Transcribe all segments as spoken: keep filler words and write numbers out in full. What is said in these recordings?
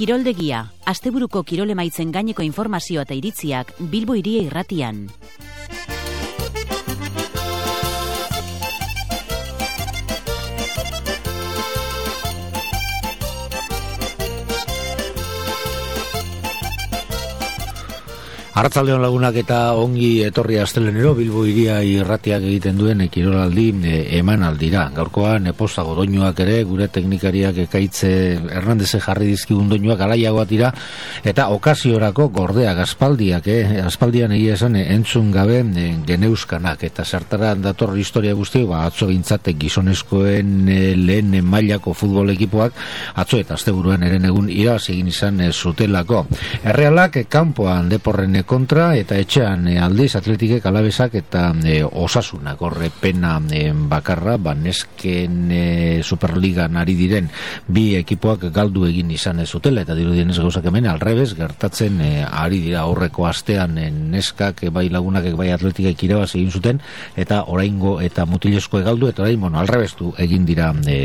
Kiroldegia, asteburuko kirolemaitzen gaineko informazioa eta iritziak Bilbo Hiria Irratian. Arratsaldeon lagunak eta ongi etorri astelenero Bilbo Hiria Irratiak egiten duen kirolaldi emanaldira. Gaurkoan Pozago doinuak ere gure teknikariak Ekaitze Hernandeze jarri dizkigun doinuak alaiagoak dira eta okasiorako gordeak aspaldiak, eh? aspaldian egia esan entzun gabe geneuskanak eta zertara dator historia guzti, ba, atzo gintzate gizonezkoen lehen mailako futbol ekipoak atzo eta asteburuan eren egun irabazi egin izan zutelako. Errealak kanpoan Deporren kontra eta etxean e, aldiz Atletikek Alabesak eta e, Osasunak horre pena e, bakarra banesken e, Superligan ari diren bi ekipoak galdu egin izan ez zutela eta dirudienez gauzak hemen alrebez gertatzen e, ari dira aurreko astean e, neskak e, bai lagunak bai Atletikek irabazi egin zuten eta oraingo eta mutilezko galdu eta orain bueno alrebeztu egin dira e,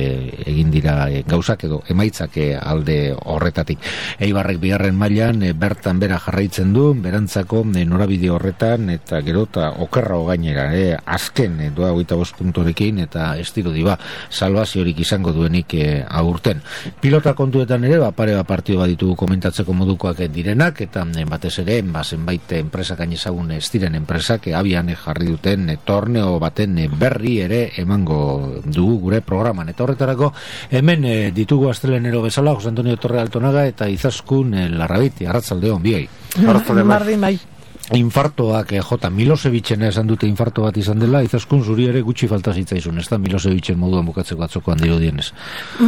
egin dira e, gauzak edo emaitzak e, alde horretatik. Eibarrek bigarren mailan e, bertan bera jarraitzen du beran norabide horretan eta gero eta okerra gainera eh? azken eh, doa hogeita bost puntorekin eta estilo diba salvaziorik izango duenik eh, aurten. Pilota kontuetan ere ba, pare bat partio bat ditugu komentatzeko modukoak direnak eta eh, batez ere ba, zenbait enpresak ainezagun ez diren enpresak eh, abian eh, jarri duten eh, torneo baten eh, berri ere emango dugu gure programan eta horretarako hemen eh, ditugu astelenero bezala Jose Antonio Torre Altonaga eta Izaskun eh, Larrabiti. Arratsaldeon biei. Martin bai. Infartoak eh, jota Milosevicen esan dute infarto bat izan dela, Izaskun zuri ere gutxi falta zitzaizun, ez da Milosevicen moduan bukatzeko atzokoan dirudienez.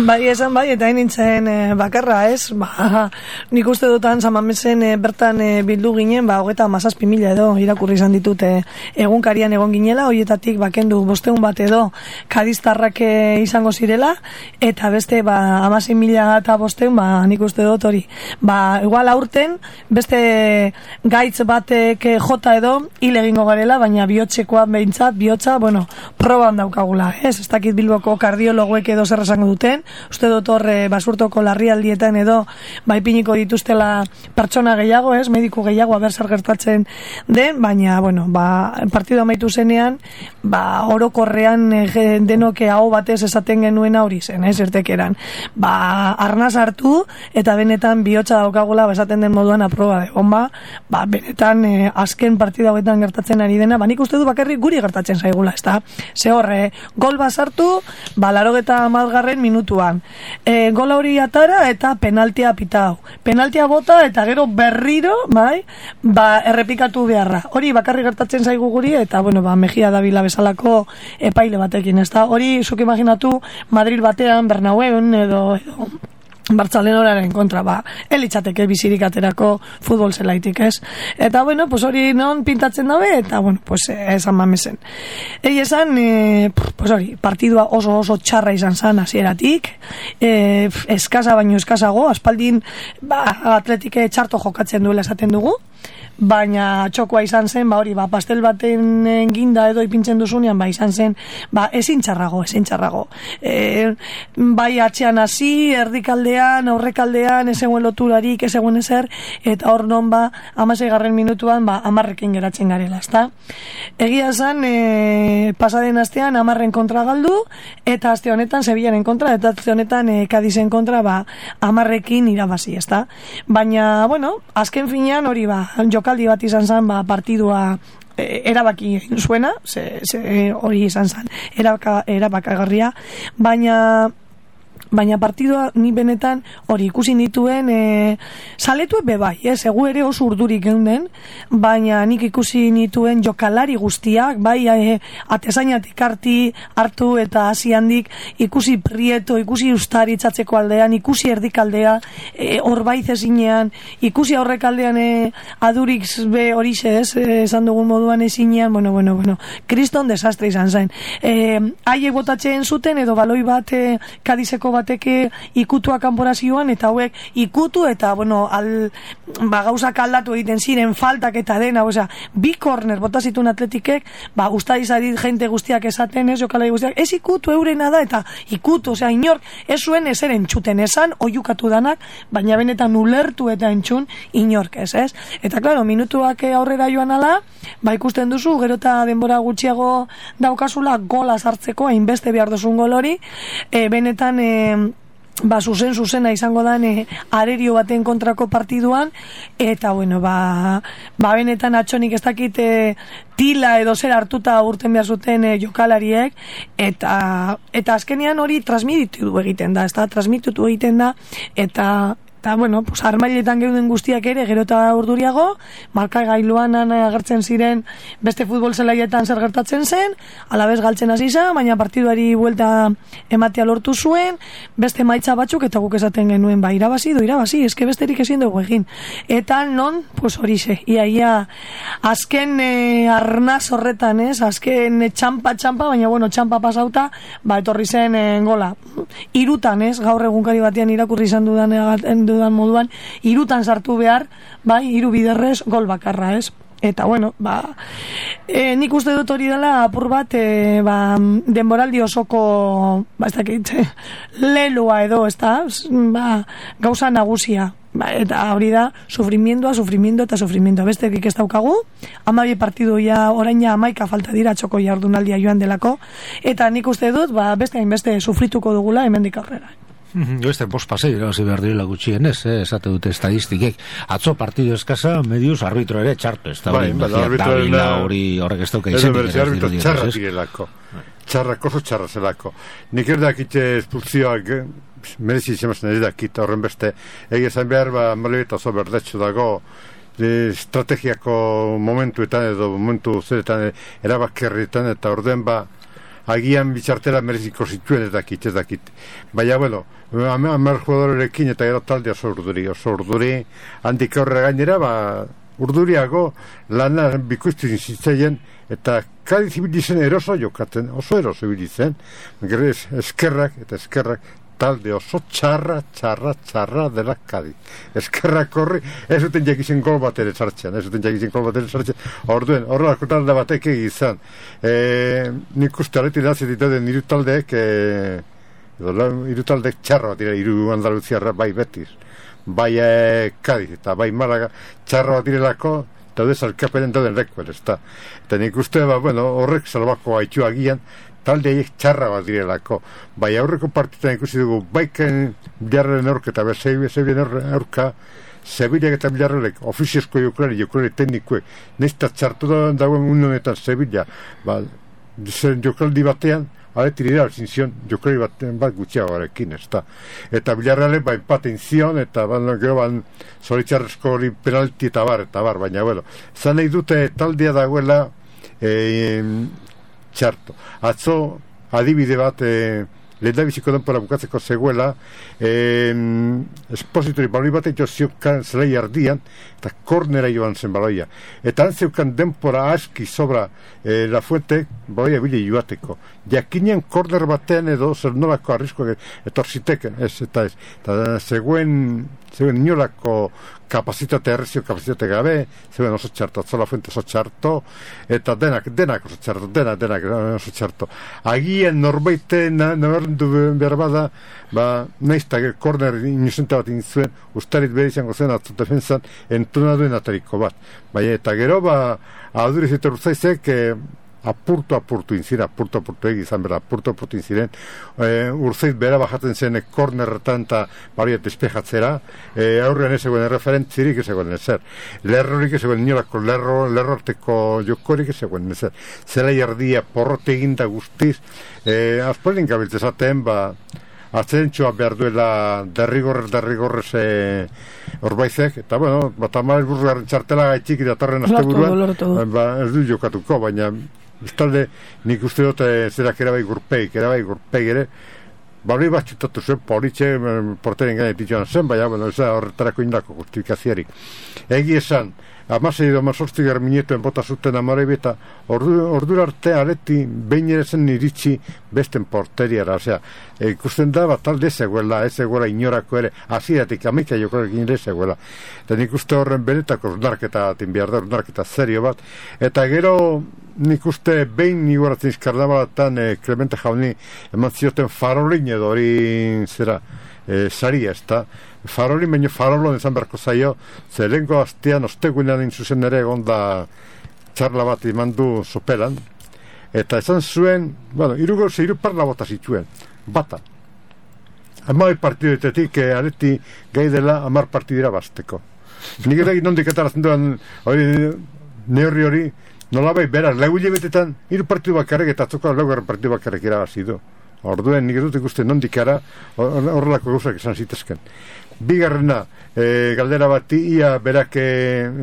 Bai, esan bai, eta nintzen e, bakarra, ez? Ba, nik uste dutan Samamesen e, bertan e, bildu ginen, ba, hogeta mazazpi mila edo irakurri izan ditut e, egunkarian egon ginela, horietatik bakendu bosteun bat edo kadiztarrak e, izango zirela, eta beste, ba, amazin mila eta bosteun, ba, nik uste dut hori. Ba, igual aurten, beste gaitz bate que jota edo hil egingo garela, baina bihotzekoa behintzat, bihotza, bueno, proban daukagula, ez? Ez dakit Bilboko kardiologoek edo zer esango duten, uste dut horre basurtoko larrialdietan edo baipiniko dituztela pertsona gehiago, ez? Mediku gehiago, aber zer gertatzen den, baina, bueno, ba, partido amaitu zenean, ba, orokorrean e, denoke hau batez esaten genuen hori zen, ez? Ertekeran, ba, arnaz hartu, eta benetan bihotza daukagula, ba, esaten den moduan aproba de bomba, ba, benetan e, azken partida hauetan gertatzen ari dena, ba nik uste du bakarrik guri gertatzen zaigula, ezta? Ze horre, gol basartu, ba larogeta hamargarren minutuan. E, gol hori atara eta penaltia pitau. Penaltia bota eta gero berriro, bai, ba errepikatu beharra. Hori bakarrik gertatzen zaigu guri eta bueno, ba Mejia Davila bezalako epaile batekin, ezta? Hori zuk imaginatu Madrid batean, Bernabeun edo edo Bartzalenoraren kontra, ba, elitzateke bizirik aterako futbol zelaitik, ez? Eta, bueno, pues hori non pintatzen dabe, eta, bueno, pues esan Mamesen. Egi esan, e, pues hori, partidua oso oso txarra izan zan hasieratik, e, eskasa baino eskasago, aspaldin, ba, Atletike txarto jokatzen duela esaten dugu, baina txokoa izan zen, ba hori, ba, pastel baten ginda edo ipintzen duzunean, ba, izan zen, ba, ezin txarrago, ezin txarrago. E, bai atxean hasi, erdikaldean, aurrekaldean, ez eguen loturarik, ez eguen ezer, eta hor non, ba, amaseigarren minutuan, ba, amarrekin geratzen garela, ezta? Egia zen, e, pasaden astean, amarren kontra galdu, eta aste honetan, Sevillaren kontra, eta aste honetan, e, Kadizen kontra, ba, amarrekin irabazi, ezta? Baina, bueno, azken finean, hori, ba, jokaldi bat izan zen, ba, partidua e, erabaki egin zuena, ze, ze, hori izan zen, erabaka, erabakagarria, baina baina partidua ni benetan hori ikusi nituen e, saletue bebai, ez, egu ere oso urdurik geunden, baina nik ikusi nituen jokalari guztiak, bai e, atezainatik harti hartu eta hasi handik ikusi Prieto, ikusi Ustari itzatzeko aldean, ikusi erdikaldea e, horbaiz ezinean, ikusi aurrekaldean e, adurik be horixe ez, e, esan dugun moduan ezinean, bueno, bueno, bueno, kriston desastre izan zen. E, haiek botatzen zuten edo baloi bat e, Kadizeko bateke ikutua kanporazioan, eta hauek ikutu, eta, bueno, al, ba, gauzak aldatu egiten ziren, faltak eta dena, osea, bi korner bota zituen Atletikek, ba, ustaizari jente guztiak esaten, ez, jokalari guztiak, ez ikutu eurena da, eta ikutu, osea, inork, ez zuen ezer entzuten esan, oiukatu danak, baina benetan ulertu eta entzun, inork ez, ez? Eta, klaro, minutuak aurrera joan ala, ba, ikusten duzu, gero eta denbora gutxiago daukazula gola sartzeko, hainbeste behar duzun gol hori, e, benetan, e, ba, zuzen, zuzena izango dan e, arerio baten kontrako partiduan, eta, bueno, ba, ba benetan atxonik ez dakit e, tila edo zer hartuta urten behar zuten e, jokalariek, eta, eta azkenean hori transmititu egiten da, ez da, transmititu egiten da, eta, eta, bueno, pues, armailetan geuden guztiak ere, gero eta urduriago, marka gailuan agertzen ziren beste futbol zelaietan zer gertatzen zen, alabez galtzen hasi zen, baina partiduari buelta ematea lortu zuen, beste maitza batzuk, eta guk esaten genuen, ba, irabazi do, irabazi, eske besterik ezin dugu egin. Eta non, pues horixe, ia, ia, azken e, arnaz horretan, ez, azken e, txampa, txampa, baina, bueno, txampa pasauta, ba, etorri zen e, gola. Irutan, ez, gaur egunkari batean irakurri izan dudan, dudan moduan, irutan sartu behar, bai, hiru biderrez, gol bakarra, ez? Eta, bueno, ba, e, nik uste dut hori dela apur bat, e, ba, denboraldi osoko, ba, ez dakit, leloa edo, ez da, ba, gauza nagusia. Ba, eta hori da, sufrimiendoa, sufrimiento eta sufrimiento. Besterik ez daukagu, hamabi partidu ja, orain ja hamaika falta dira txoko jardunaldia joan delako, eta nik uste dut, ba, beste hainbeste sufrituko dugula hemendik aurrera. Beste bost pasei irabazi behar direla gutxienez, eh, esate dute estadistikek. Atzo partidu eskasa, mediuz arbitro ere txarto, ez da hori, hori horrek ez dauka izenik. Ez arbitro txarra direlako, txarrak oso txarra zelako. Nik erdakite espulzioak, merezi izemazten erdakita horren beste, egizan behar, ba, malibeta oso berdetxo dago, estrategiako momentuetan edo momentu zeretan erabakerrietan, eta orden ba, agian bitxartela mereziko zituen ez dakit, ez dakit. Baina, bueno, hamar jugadorekin eta gero talde oso urduri, oso urduri, handik aurrera gainera, ba, urduriago lana bikoiztu zitzaien, eta Kadiz ibilizen eroso jokatzen, oso eroso ibilizen, gero eskerrak eta eskerrak, talde oso txarra, txarra, txarra dela Kadiz. Eskerrak horri, ez duten jakizen gol bat ere sartzen, ez duten jakizen gol bat ere sartzen. Orduen, horrelako talde batek egizan. E, nik uste aleti nazi dituden iru taldeek, e, iru taldeek txarra bat dira, iru Andaluziarra bai Betis, bai e, Kadiz, eta bai Malaga, txarra bat direlako, daude zalkapenen dauden lekuel, ez da. Eta nik uste, ba, bueno, horrek salbako haitu agian, talde haiek txarra bat direlako. Bai aurreko partitan ikusi dugu, baiken bilarren aurka eta Sevillaren aurka, Sevillak eta bilarrelek, ofiziozko jokulari, jokulari teknikuek, nesta txartu dagoen unionetan Sevilla, ba, jokaldi batean, aletiri da, zinzion, jokulari batean bat gutxiago garekin, ez da. Eta bilarrelek, ba, empaten zion, eta ba, gero ban, zoritxarrezko hori penalti eta bar, eta bar, baina, bueno, zan nahi dute taldea dagoela, eh, txarto. Atzo adibide bat e, lehendabiziko denpora bukatzeko zegoela e, espositori baloi bat eto zeukan zelai ardian eta kornera joan zen baloia. Eta han zeukan denpora aski sobra e, La Fuente baloia bile joateko. Jakinean korner batean edo zer nolako arriskoak etorziteken, ez, eta ez. Eta zegoen, zegoen inolako kapazitate errezio, kapazitate gabe, zegoen oso txarto, atzo La Fuente oso txarto, eta denak, denak oso txarto, denak, denak oso txarto. Agien norbaite nabarrendu behar bada, ba, naizta korner inusente bat inzuen, ustarit behar izango zen atzo defensan entuna duen atariko bat. Baina, eta gero, ba, aduriz eta urzaizek, eh, apurtu apurtu inziren, apurtu apurtu egizan bera, apurtu apurtu inziren, e, urzeit bera bajaten zen e, kornerretan eta bariet despejatzera, e, aurrean ez egoen referentzirik ez egoen ezer, lerrorik ez egoen inolako lerro, lerrorteko jokorik ez egoen ezer, zela jardia porrote eginda guztiz, e, azporin gabiltzezaten, ba, atzentxoa behar duela derrigorrez, derrigorrez e, orbaizek, eta bueno, bat amar burrugarren txartela gaitxik datorren azte buruan, ba, ez du jokatuko, baina bestalde nik uste dut zerak erabai gurpeik, erabai gurpeik ere, bari bat txutatu zuen, politxe, porteren gainetik joan zen, baina bueno, ez da horretarako indako justifikaziarik. Egi esan, amasei edo amazortzi gara minetuen bota zuten Amorebi, eta ordu, ordu arte Aleti behin ere zen iritsi besten porteriara, osea, e, ikusten da bat talde zegoela, ez zegoela inorako ere, hasieratik amaika jokorekin ere zegoela. Eta nik uste horren benetako ornarketa batin behar da, ornarketa serio bat, eta gero nik uste behin iguaratzen karnabalatan e, Clemente Jauni eman zioten farolin edo hori zera, e, saria, ez da, farolin baino farolon ezan beharko zaio, ze lehenko astean ostegunean inzuzen ere egon da txarla bat iman du soperan, eta esan zuen, bueno, irugo zeiru parla bota zituen, bata. Amai partiduetetik, eh, Aleti gai dela amar partidira basteko. Nik ere nondik etarazen duen, hori, neurri hori, nolabai, beraz, legu hilebetetan, hiru partidu bakarrik eta atzoko laugarren partidu bakarrik irabazi du. Orduen, nik dut ikusten nondik ara, horrelako gauzak esan zitezken. Bigarrena, e, galdera bat ia berak e,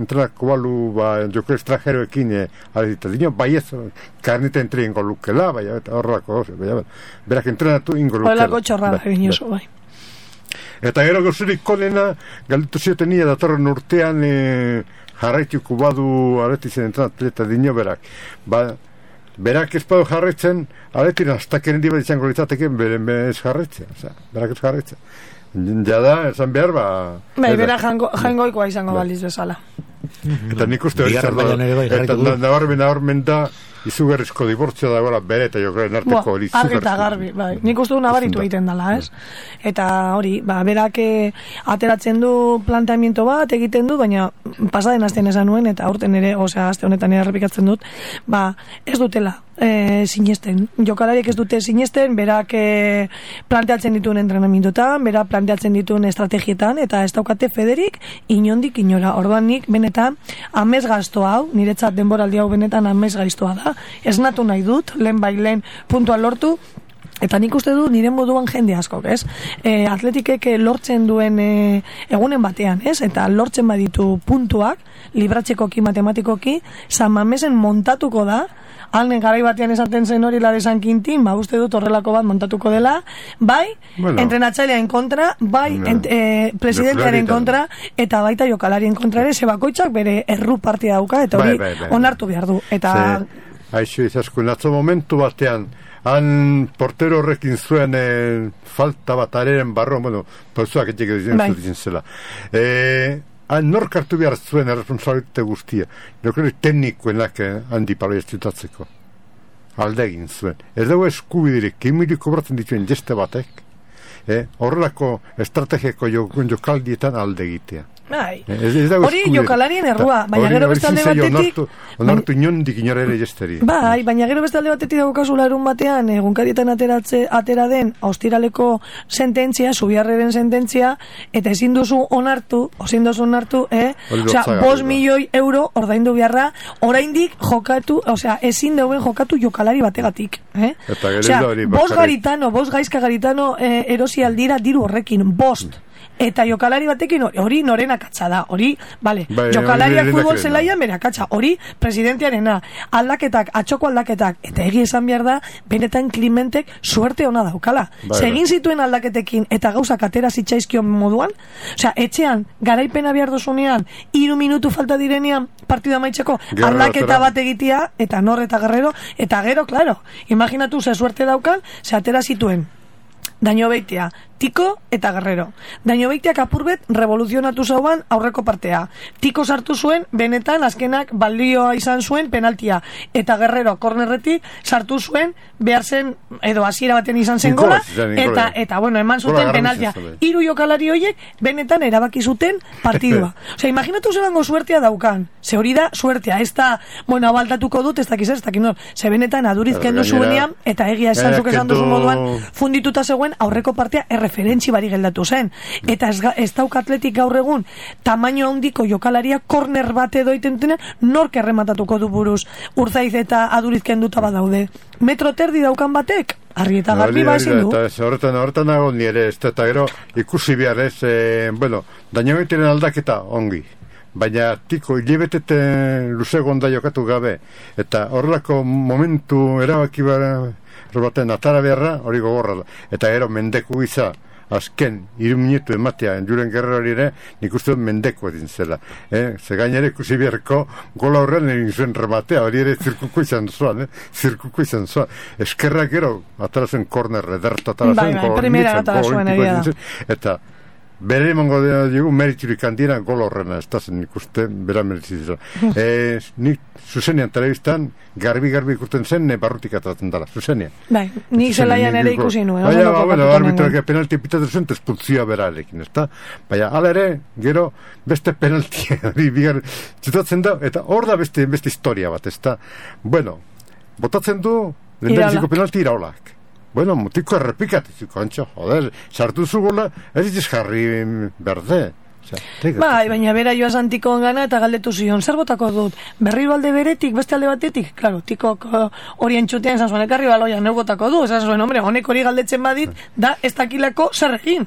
entrenako balu ba, joko estranjeroekin e, alezita dino, bai ez, karnita entre ingo lukela, bai, horrelako gauzak, bai, berak entrenatu ingo lukela. Horrelako txorrada egin oso, bai. Eta gero gauzurik konena, galditu zioten ia datorren urtean e, jarraituko badu Aletizen entrenatu eta dino berak. Ba, berak ez badu jarraitzen, Aletiren aztaken handi bat izango litzateke beren ez jarraitzen, oza, berak ez jarraitzen. Ja da, esan behar, ba... Bai, bera jango, jangoikoa izango ba. Baliz bezala. Eta nik uste hori zer da, eta nabarmen nabarmen da, izugarrizko dibortzia da gora bere eta jokaren arteko hori izugarrizko. Argi eta garbi, bai. Nik uste du nabaritu egiten dela, ez? Eta hori, ba, berak ateratzen du planteamiento bat egiten du, baina pasaden astean esan nuen, eta aurten ere, osea, aste honetan ere errepikatzen dut, ba, ez dutela e, sinesten. Jokalariek ez dute sinesten, berak e, planteatzen dituen entrenamientotan, berak planteatzen dituen estrategietan, eta ez daukate federik inondik inora. Orduan nik, benetan, amez gazto hau, niretzat denboraldi hau benetan amez gaiztoa da, esnatu nahi dut, lehen bai lehen puntua lortu, eta nik uste du nire moduan jende askok, ez? E, atletikek lortzen duen e, egunen batean, ez? Eta lortzen baditu puntuak, libratzekoki, matematikoki, San Mamesen montatuko da, alnen garai batean esaten zen hori Laresan Quintin, ba uste dut horrelako bat montatuko dela, bai, bueno, entrenatzailearen kontra, bai, no, ent, e, presidentearen kontra, eta baita jokalarien kontra ere, ze bakoitzak bere erru partia dauka, eta hori bai, bai, bai, onartu behar du. Eta... Aixo izaskun, atzo momentu batean, han portero horrekin zuen e, falta bat areren barro, bueno, pauzuak etxek dizen bai. Zuten zela. E, han nork hartu behar zuen erresponsabilitate guztia. Nokere teknikoenak eh, handi palo jaztutatzeko. Alde egin zuen. Ez dago eskubidirik, kimirik kobratzen dituen jeste batek, eh, horrelako estrategiako jokaldietan alde egitea. Bai. Hori jokalarien errua, baina gero beste alde batetik onartu inondik inora ere jesteri. Bai, baina gero beste alde batetik dago kasu larun batean egunkarietan ateratze atera den ostiraleko sententzia, Zubiarreren sententzia, eta ezin duzu onartu, ezin duzu onartu, eh? Osea, bost milioi euro ordaindu beharra, oraindik jokatu, osea, ezin dauen jokatu jokalari bategatik, eh? Osea, bost garitano, bost gaizka garitano eh, erosi aldira diru horrekin, bost. Eta jokalari batekin hori noren akatsa da, hori, bale, bai, jokalariak futbol zelaian bere akatsa, hori presidentearena, aldaketak, atxoko aldaketak, eta egi esan behar da, benetan Klimentek suerte ona daukala. Bai, Segin zituen aldaketekin eta gauzak atera zitzaizkion moduan, osea, etxean, garaipena behar dozunean, hiru minutu falta direnean partida maitzeko, aldaketa bat egitea, eta nor eta Guerrero, eta gero, claro, imaginatu ze suerte daukan, ze atera zituen. Daño beitea, Tiko eta Guerrero. Daño beiteak apurbet revoluzionatu zauan aurreko partea. Tiko sartu zuen, benetan azkenak balioa izan zuen penaltia. Eta Guerrero kornerretik sartu zuen, behar zen, edo hasiera baten izan zen gola, eta, eta, bueno, eman zuten penaltia. Hiru jokalari horiek, benetan erabaki zuten partidua. Osea, imaginatu zelango suertea daukan. Ze hori da, suertea, ez da, bueno, abaltatuko dut, ez dakiz ez, dakiz nor. Ze benetan adurizken duzuenean, eta egia esan zuk esan duzu moduan, fundituta zegoen aurreko partea referentzi bari geldatu zen. Eta ez, ez dauk atletik gaur egun tamaino handiko jokalaria korner bat edo itentenen nork errematatuko du buruz Urzaiz eta adurizken duta badaude. Metro terdi daukan batek? Argi eta garbi ba ezin du. Eta horretan, horretan nago nire ez, eta gero ikusi behar ez, e, bueno, dañagoeteren aldaketa ongi. Baina Tiko hilebetete luze gonda jokatu gabe. Eta horrelako momentu erabaki baten atara beharra hori gogorra da. Eta gero mendeku iza azken hiru minutu ematea Julen Guerrerori ere nik uste dut mendeko edin zela. Eh? Ze gainera ikusi beharko gola horren egin zuen rematea, hori ere zirkuko izan zuan, eh? zirkuko izan zuan. Eskerrak gero, atara zen korner, ederta atara zen, bai, bai, primera atara zuen egia da. Eta bere emango dugu meriturik handira gol horrena, ez da zen ikuste, bera meritizera. e, nik zuzenean telebistan, garbi-garbi ikusten zen, ne barrutik atatzen dela, zuzenean. Bai, nik zelaian ere ikusi nuen. Baina, bueno, arbitroak penalti pitatzen zuen, tespultzioa berarekin, ez da? Baina, ala ere, gero, beste penaltia, bigar, txutatzen da, eta hor da beste, beste historia bat, ez da? Bueno, botatzen du, lehendabiziko penalti iraolak. Bueno, mutiko errepikatizuko, antxo, joder, sartu zu gola, ez diz jarri berde. Bai, baina bera joa Santikon gana eta galdetu zion, zer botako dut, berriro alde beretik, beste alde batetik? Claro, tikok hori entxutean esan zuen, ekarri baloia, neu botako du, esan zuen, hombre, honek hori galdetzen badit, da ez dakilako zer egin.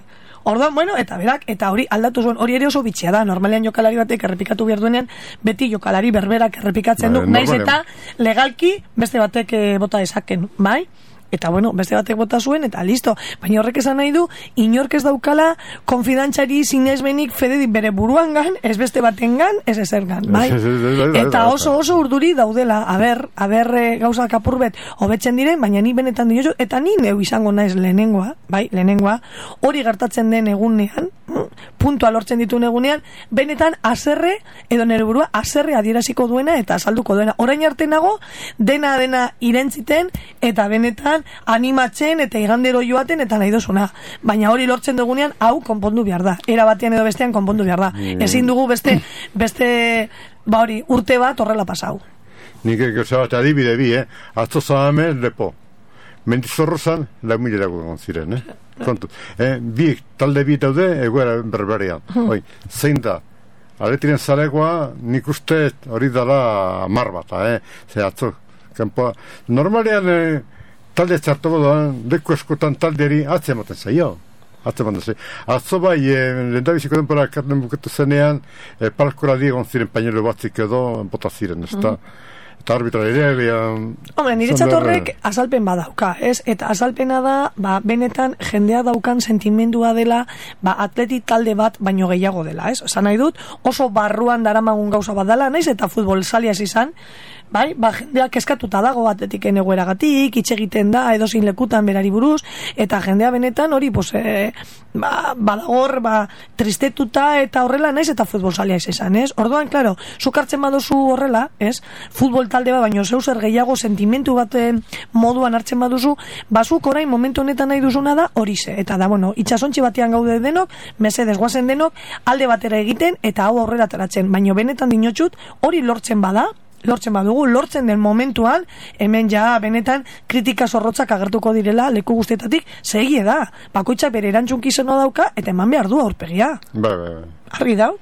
Orduan, bueno, eta berak, eta hori aldatu zuen, hori ere oso bitxia da, normalean jokalari batek errepikatu behar duenean, beti jokalari berberak errepikatzen du, naiz eta legalki beste batek bota dezaken, bai? Eta bueno, beste batek bota zuen, eta listo. Baina horrek esan nahi du, inork ez daukala konfidantzari sinesmenik fede bere buruan gan, ez beste baten gan, ez ezer gan, bai? Eta oso oso urduri daudela, aber, aber gauzak apurbet hobetzen diren, baina ni benetan dinozu, eta ni neu izango naiz lehenengoa, bai, lehenengoa, hori gertatzen den egunean, puntua lortzen dituen egunean, benetan aserre, edo nere burua, aserre adieraziko duena eta azalduko duena. Orain arte nago, dena dena irentziten, eta benetan animatzen eta igandero joaten eta nahi dozuna. Baina hori lortzen dugunean, hau konpondu behar da. Era batean edo bestean konpondu behar da. Mm. Ezin dugu beste, beste, ba hori, urte bat horrela pasau. Nik egin bat adibide bi, eh? Atzo zahame lepo. Mendizorrozan, lau mila dago ziren, eh? Kontu. Eh, bi, talde bi daude, egoera berberean. Hmm. Oi, zein da? Aretiren zalegoa, nik uste hori dala mar bat, eh? Ze atzo, kanpoa. Normalean, eh, talde txartuko doan, leku eskotan taldeari atze ematen zaio. Atze ematen zaio. Atzo bai, eh, lendabiziko denpora karten buketu zenean, eh, palkora diegon ziren pañuelo batzik edo, bota ziren, ez da? Hmm. Eta arbitra ere... Hombre, niretzat horrek azalpen badauka, ez? Eta azalpena da, ba, benetan jendea daukan sentimendua dela, ba, atleti talde bat baino gehiago dela, ez? Esan nahi dut, oso barruan daramagun gauza bat dela, naiz, eta futbol saliaz izan, bai, ba, jendeak eskatuta dago atletiken egoeragatik, itxe egiten da, edozin lekutan berari buruz, eta jendea benetan hori, pues, e, ba, badagor, ba, tristetuta eta horrela naiz, eta futbol salia izan, ez? Orduan, klaro, zuk hartzen baduzu horrela, ez? Futbol talde bat, baino zeu zer gehiago sentimentu bat moduan hartzen baduzu, bazuk orain momentu honetan nahi duzuna da horixe, eta da, bueno, itxasontxi batean gaude denok, mesedez guazen denok, alde batera egiten, eta hau aurrera ateratzen, baino benetan dinotxut, hori lortzen bada, lortzen badugu, lortzen den momentuan, hemen ja benetan kritika zorrotzak agertuko direla leku guztietatik, segie da, bakoitzak bere erantzunkizeno dauka, eta eman behar du aurpegia. Ba, ba, ba. Argi dau?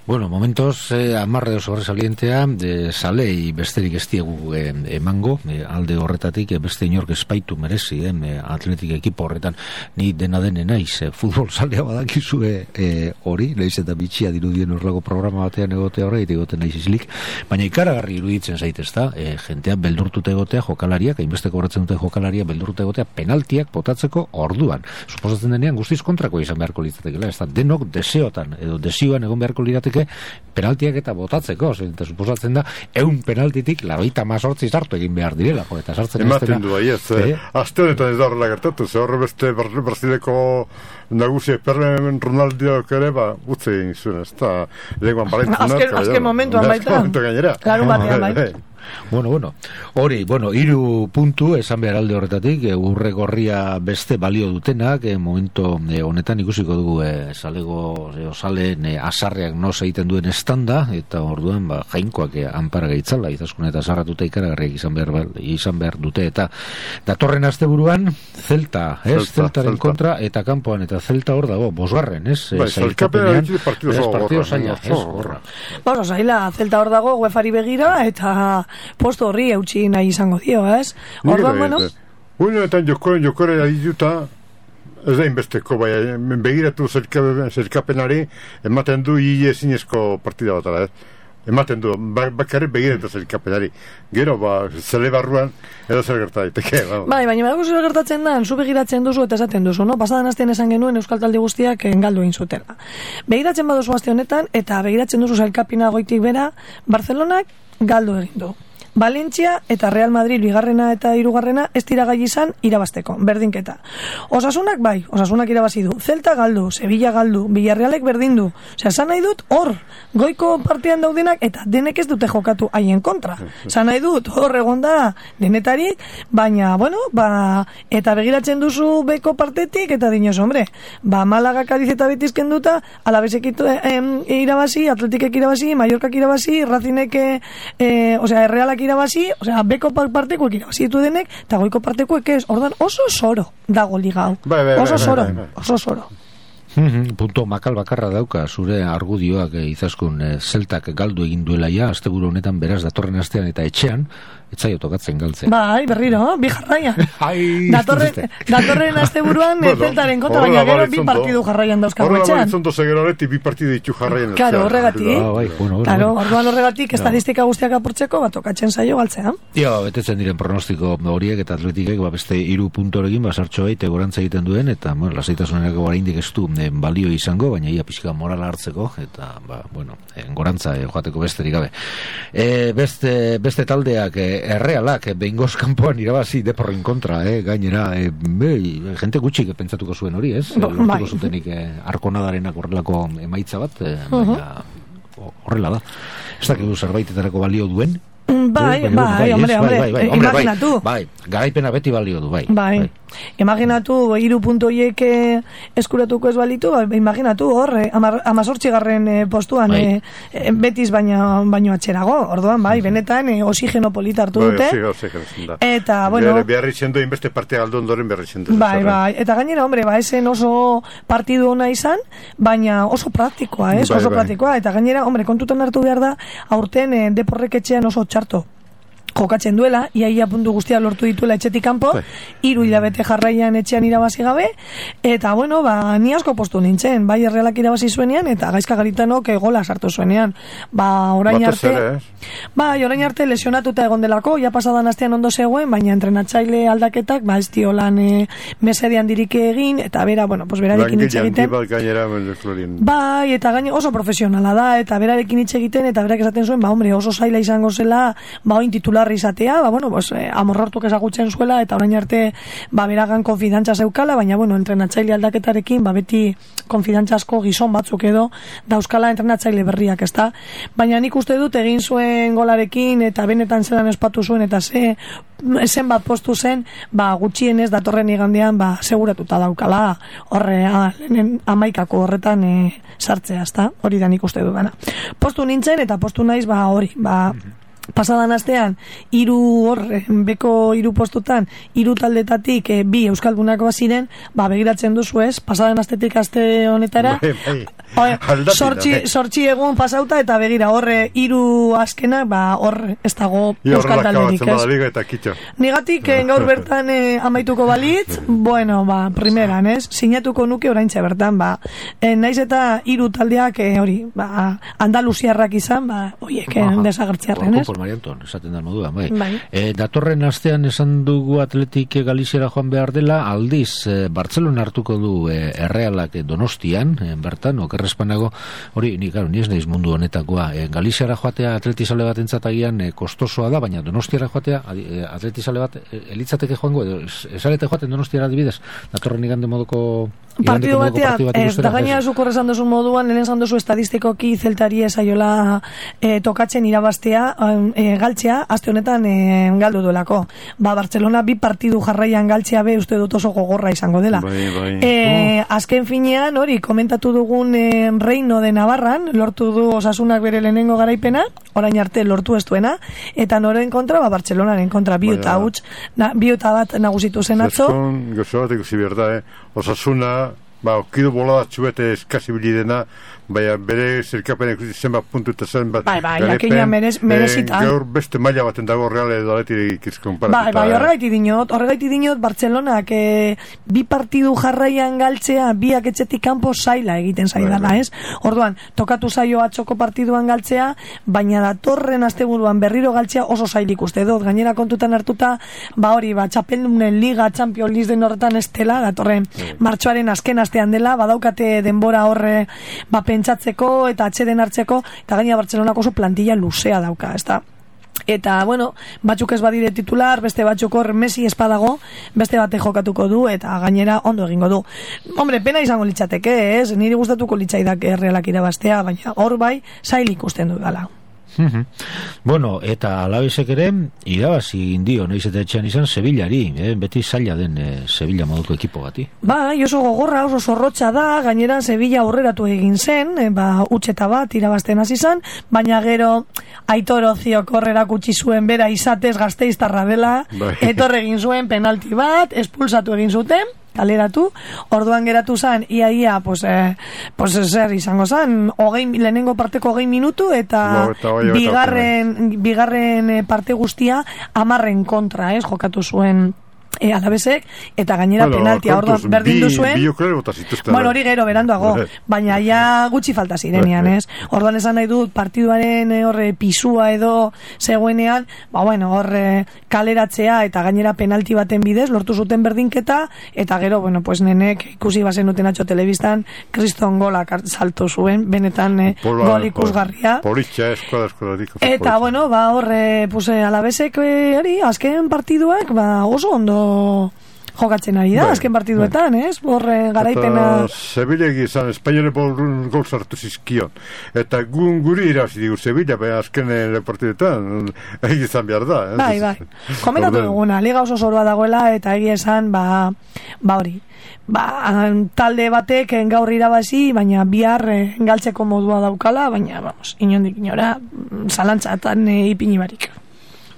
Bueno, momentos eh, amarre oso sobresalientea de salei besterik ez diegu eh, emango, eh, alde horretatik eh, beste inork espaitu merezi eh, atletik ekipo horretan ni dena dene naiz, eh, futbol salea badakizue eh, hori, naiz eta bitxia dirudien horrego programa batean egotea horreit egoten naiz izlik, baina ikaragarri iruditzen zaitez da, eh, jentea beldurtute egotea jokalariak, hainbesteko horretzen dute jokalaria beldurtute egotea penaltiak botatzeko orduan. Suposatzen denean guztiz kontrako izan beharko litzatekela, ez da denok deseotan edo desioan egon beharko lirateke penaltiak eta botatzeko, eta suposatzen da eun penaltitik laroita mazortzi sartu egin behar direla, jo, eta sartzen ematen du aiez, eh? Azte honetan ez da horrela gertatu, ze horre beste Brasileko nagusi Perren Ronaldiok ere, ba, utze egin zuen, ez da lenguan balentunak. Azken momentuan baita, larun batean baita. Bueno, bueno, hori, bueno, hiru puntu esan behar alde horretatik, e, urre gorria beste balio dutenak, e, momento e, honetan ikusiko dugu e, salego, e, osalen e, asarreak no egiten duen estanda, eta orduan, ba, jainkoak e, anpara gaitzala, izaskun eta sarratuta ikaragarriak izan behar, izan behar dute, eta datorren asteburuan Zelta, ez, Zelta, Zeltaren Zelta. Kontra, eta kanpoan, eta Zelta hor dago, bosgarren, ez, bai, zailkapenean, ez, partido zaila, ez, horra. Bueno, zaila, Zelta hor dago, uefari begira, eta posto horri eutxi nahi izango dio, ez? Orduan, bueno... Unetan jokoren, jokoren adituta, ez da inbesteko, bai, begiratu zerkapenari, ematen du hile ezinezko partida batara, ez? ematen du, bakarrik begiratu zelkapelari. Gero, ba, zele barruan, edo zer gerta daiteke. Bai, baina bago zer gertatzen da, zu begiratzen duzu eta esaten duzu, no? Pasadan astean esan genuen Euskal Talde guztiak galdu egin zutela. Begiratzen baduzu aste honetan, eta begiratzen duzu zelkapina goitik bera, Barcelonak galdu egin du. Valentzia eta Real Madrid bigarrena eta hirugarrena ez dira gai izan irabasteko, berdinketa. Osasunak bai, Osasunak irabazi du. Celta galdu, Sevilla galdu, Villarrealek berdin du. Osea, esan nahi dut hor, goiko partian daudenak eta denek ez dute jokatu haien kontra. Esan nahi dut hor egonda denetarik, baina, bueno, ba, eta begiratzen duzu beko partetik eta dinoz, hombre, ba, Malaga, Cádiz eta Betis kenduta, Alavesek eh, irabazi, Atletikek irabazi, Mallorcak irabazi, Racinek, eh, osea, Realak irabazi, osea, beko partekuek irabazi ditu denek, eta goiko partekuek ez, ordan oso soro dago ligau. Bai, bai, oso bai, soro, bai, bai. oso soro. Punto makal bakarra dauka zure argudioak eh, izaskun eh, zeltak galdu egin duela ja, asteburu honetan beraz datorren astean eta etxean, etzaio tokatzen galtzen. Bai, berriro, bi jarraian. Ai, datorren, datorren asteburuan bueno, zeltaren kontra, baina gero bi partidu jarraian dauzkago etxean. Horrela balitzonto zegeroreti bi partidu ditu jarraian. Claro, horregatik. Ah, bai, bueno, claro, orduan horregatik estadistika guztiak apurtzeko, bat tokatzen zaio galtzea. Ja, betetzen diren pronostiko horiek eta Atletikek ba, beste hiru puntorekin basartxo baita gorantza egiten duen, eta bueno, lasaitasunerako oraindik ez du eh, balio izango, baina ia pixka morala hartzeko, eta, ba, bueno, eh, gorantza eh, joateko besterik gabe. Eh, beste, beste taldeak eh, Errealak, behingoz kanpoan irabazi Deporren kontra, eh, gainera, eh, be, jente gutxik pentsatuko zuen hori, ez? Ba, Lortuko bai. zutenik eh, Arkonadarenak horrelako emaitza bat, eh, baina horrela da. Ez dakigu zerbaitetarako balio duen? Bai, Eh, bai, hombre, ez, hombre, bai, bai, imaginatu. Bai, bai, garaipena beti balio du, bai. Bai, bai. Imaginatu, hiru puntu horiek eskuratuko ez balitu, ba, imaginatu hor, eh, amazortzigarren eh, postuan bai. eh, eh, Betis baino, baino atxerago, orduan, bai, benetan eh, oxigeno polita hartu dute. Bai, oxigeno, eta, bueno... Beharri zendo, inbeste partea galdu ondoren beharri zendo. Bai, bai, eta gainera, hombre, ba, esen oso partidu ona izan, baina oso praktikoa, ez? Bai, oso bai. praktikoa, eta gainera, hombre, kontutan hartu behar da, aurten eh, Deporrek etxean oso txarto jokatzen duela, iaia puntu guztia lortu dituela etxetik kanpo, hiru hilabete jarraian etxean irabazi gabe, eta bueno, ba, ni asko postu nintzen, bai Errealak irabazi zuenean, eta Gaizka Garitanok gola sartu zuenean. Ba, orain Batez arte, ere, bai, orain arte lesionatuta egon delako, ja pasadan astean ondo zegoen, baina entrenatzaile aldaketak, ba, ez dio lan e, mesedean dirike egin, eta bera, bueno, pues berarekin hitz egiten. Gainera, bai, eta gaine oso profesionala da, eta berarekin hitz egiten, eta berak esaten zuen, ba, hombre, oso zaila izango zela, ba, oin titular izatea, ba, bueno, pues, eh, amorrortuk ezagutzen zuela, eta orain arte, ba, beragan konfidantza zeukala, baina, bueno, entrenatzaile aldaketarekin, ba, beti konfidantza asko gizon batzuk edo, dauzkala entrenatzaile berriak, ezta? Baina nik uste dut egin zuen golarekin, eta benetan zelan espatu zuen, eta ze, zen bat postu zen, ba, gutxienez datorren igandean, ba, seguratuta daukala, horre, a, lehenen amaikako horretan e, sartzea, ezta? Hori da nik uste dudana. Postu nintzen, eta postu naiz, ba, hori, ba, pasadan astean hiru hor beko hiru postutan hiru taldetatik e, bi euskaldunak baziren, ba begiratzen duzu, ez? Pasadan astetik aste honetara sortzi sortzi egun pasauta eta begira horre hiru azkenak, ba hor ez dago euskal talderik, ez? Negatik gaur bertan e, amaituko balitz, bueno, ba primeran, ez? Sinatuko nuke oraintxe bertan, ba e, naiz eta hiru taldeak e, hori, ba andaluziarrak izan, ba hoiek desagertziarren, ez? Marianton, esaten da moduan, bai. bai. E, datorren astean esan dugu Atletik Galiziara joan behar dela, aldiz, e, Bartzelona hartuko du e, Errealak Donostian, e, bertan, okerrespanago, hori, ni, claro, ni ez naiz mundu honetakoa, e, Galiziara joatea atletizale bat entzatagian e, kostosoa da, baina Donostiara joatea e, atletizale bat e, elitzateke joango, edo esarete joaten Donostiara adibidez, datorren igande modoko partidu batean, ez da gaina zukorre esan duzu moduan, lehen esan duzu estadistikoki zeltari esaiola e, tokatzen irabaztea, e, galtzea, aste honetan e, galdu duelako. Ba, Barcelona bi partidu jarraian galtzea be uste dut oso gogorra izango dela. Bai, bai. E, azken finean, hori, komentatu dugun e, Reino de Navarran, lortu du Osasunak bere lehenengo garaipena, orain arte lortu ez duena, eta noren kontra, ba, Barcelonaren kontra, biuta huts, na, biuta bat nagusitu zen atzo. Gozo bat ikusi berda, eh? Osasuna, ba, okidu bolada txuete eskasibilidena, baina bere zerkapen ikusi zenbat puntu eta zenbat bai, bai, jakina merez, merezitan. Gaur beste maila baten dago Real edo Athletic izkonparatuta. Bai, bai, horregaiti dinot, horregaiti dinot Bartzelonak e, bi partidu jarraian galtzea, biak etxetik kanpo zaila egiten zaidala, ez? Orduan, tokatu zaio atzoko partiduan galtzea, baina datorren asteburuan berriro galtzea oso zailik uste dut, gainera kontutan hartuta, ba hori, ba, Txapeldunen Liga, Champions League den horretan estela, datorren martxoaren azken astean dela, badaukate denbora horre, ba, pentsatzeko eta atxeden hartzeko, eta gainera Bartzelonako oso plantilla luzea dauka, ez da? Eta, bueno, batzuk ez badire titular, beste batzuk hor Messi espadago, beste bate jokatuko du, eta gainera ondo egingo du. Hombre, pena izango litzateke, ez? Niri gustatuko litzaidak Realak irabaztea, baina hor bai, zail ikusten du dala. Bueno, eta Alavesek ere irabazi indio, noiz eta etxean izan Sevillari, eh? Beti zaila den eh, Sevilla moduko ekipo bati. Ba, oso gogorra, oso zorrotxa da, gainera Sevilla aurreratu egin zen, eh, ba, utxeta bat irabazten hasi zen, baina gero Aitor Oziok horrerak utzi zuen bera izatez Gasteiztarra dela, etor egin zuen penalti bat, espulsatu egin zuten, kaleratu, orduan geratu zen iaia, pues, eh, pues zer izango zen, hogei, lehenengo parteko hogei minutu eta no, eta bigarren, bigarren parte guztia amarren kontra, ez, jokatu zuen E, Alavesek, eta gainera bueno, penaltia orduan berdin du zuen. Bueno, hori gero beranduago, baina ja gutxi falta zirenean, ez? Orduan esan nahi dut partiduaren horre pisua edo zegoenean, ba bueno, horre kaleratzea eta gainera penalti baten bidez lortu zuten berdinketa, eta gero, bueno, pues nenek ikusi bazen duten atxo telebistan kriston golak salto zuen, benetan eh, gol ikusgarria. Politxa, eskola, eskola, eta, bueno, ba horre, pues Alavesek hori, azken partiduak, ba oso ondo jokatzen ari da, azken partiduetan, ez? Horre garaipena... Eta Sevillegi izan, Espainole gol sartu zizkion. Eta gun guri irazi digu Sevilla, baina azken partiduetan, egi izan behar da. Bai, bai. Komentatu duguna, liga oso zoroa dagoela, eta egi esan, ba, ba hori. Ba, talde batek gaur irabazi, baina bihar galtzeko modua daukala, baina, vamos, inondik inora, zalantzatan e, ipini barik.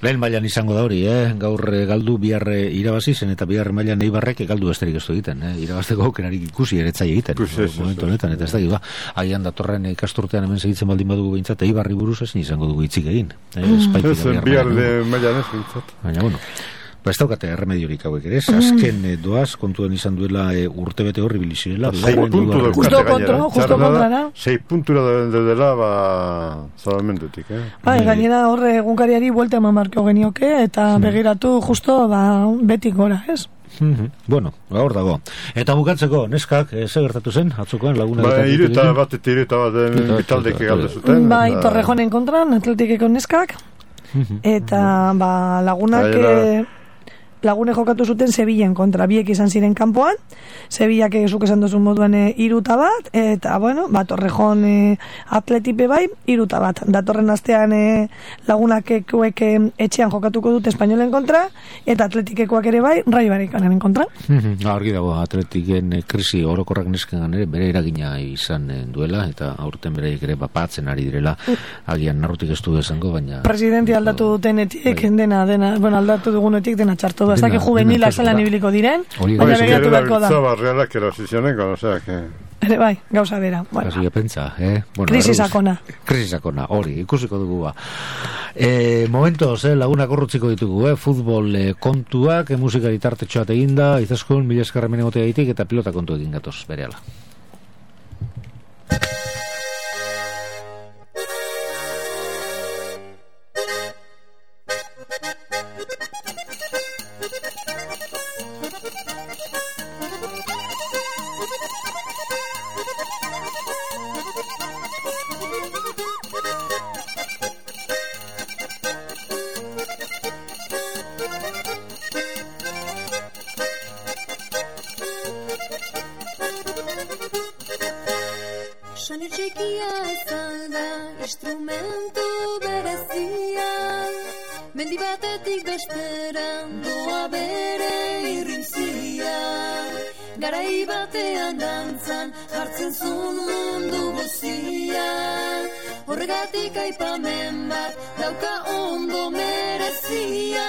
Lehen mailan izango da hori, eh? Gaur galdu bihar irabazi zen eta bihar mailan Eibarrek galdu besterik ez du egiten, eh? Irabazteko aukerarik ikusi eretzai egiten. Pues es, momentu honetan, eta ez da, agian datorren ikasturtean hemen segitzen baldin badugu behintzat, Eibarri buruz ezin izango dugu hitzik egin. Eh? Ez bihar mailan ez behintzat. Baina, bueno. Ba, ez daukate erremediorik hauek ere, azken e, doaz, kontuan izan duela e, urtebete horri bilizirela. Sei puntu da justo kontra, justo kontra. Sei puntura da dela, ba, salamendutik, eh? Ba, gainera horre egunkariari buelta eman marko genioke, eta begiratu justo, ba, betik gora, ez? Bueno, hor dago. Eta bukatzeko, neskak, ze gertatu zen, atzokoan laguna... Ba, iruta bat eta iruta bat bitaldeke galde zuten. Ba, Torrejonen kontran, atletikeko neskak, eta, ba, lagunak... Lagune jokatu zuten Sevillen kontra, biek izan ziren kanpoan, Sevillak zuk esan duzun moduan e, iruta bat, eta, bueno, ba, Torrejon e, atletipe bai, iruta bat. Datorren astean e, lagunak ekuek e, etxean jokatuko dute Espainolen kontra, eta atletikekoak ere bai, Rayo Vallecanoren kontra. Argi dago, atletiken e, krisi orokorrak nesken ere, bere eragina izan e, duela, eta aurten bereik ere bapatzen ari direla, agian narrutik ez du esango, baina... Presidenti aldatu dutenetik, bai. dena, dena, bueno, aldatu dugunetik dena txartu hasta que juvenila zelan ibiliko diren, baina begiratu beharko da. Realak erosizionengo, osea, que... Ere bai, gauza bera. Bueno. Así que pensa, eh? Bueno, krisisakona. Krisisakona, hori, ikusiko dugu ba. Eh, momentos, eh, laguna korrutziko ditugu, eh? Futbol eh, kontuak, eh, musikari tartetxoat eginda, izaskun, mila eskarra menegotea ditik, eta pilota kontu egin gatoz, berehala. Horregatik aipamen bat dauka ondo merezia.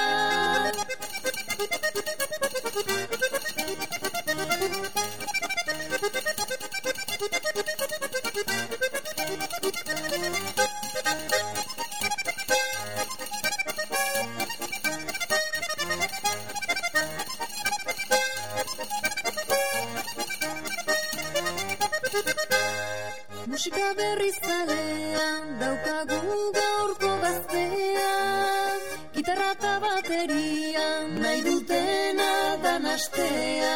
eta bateria, nahi dutena dan astea.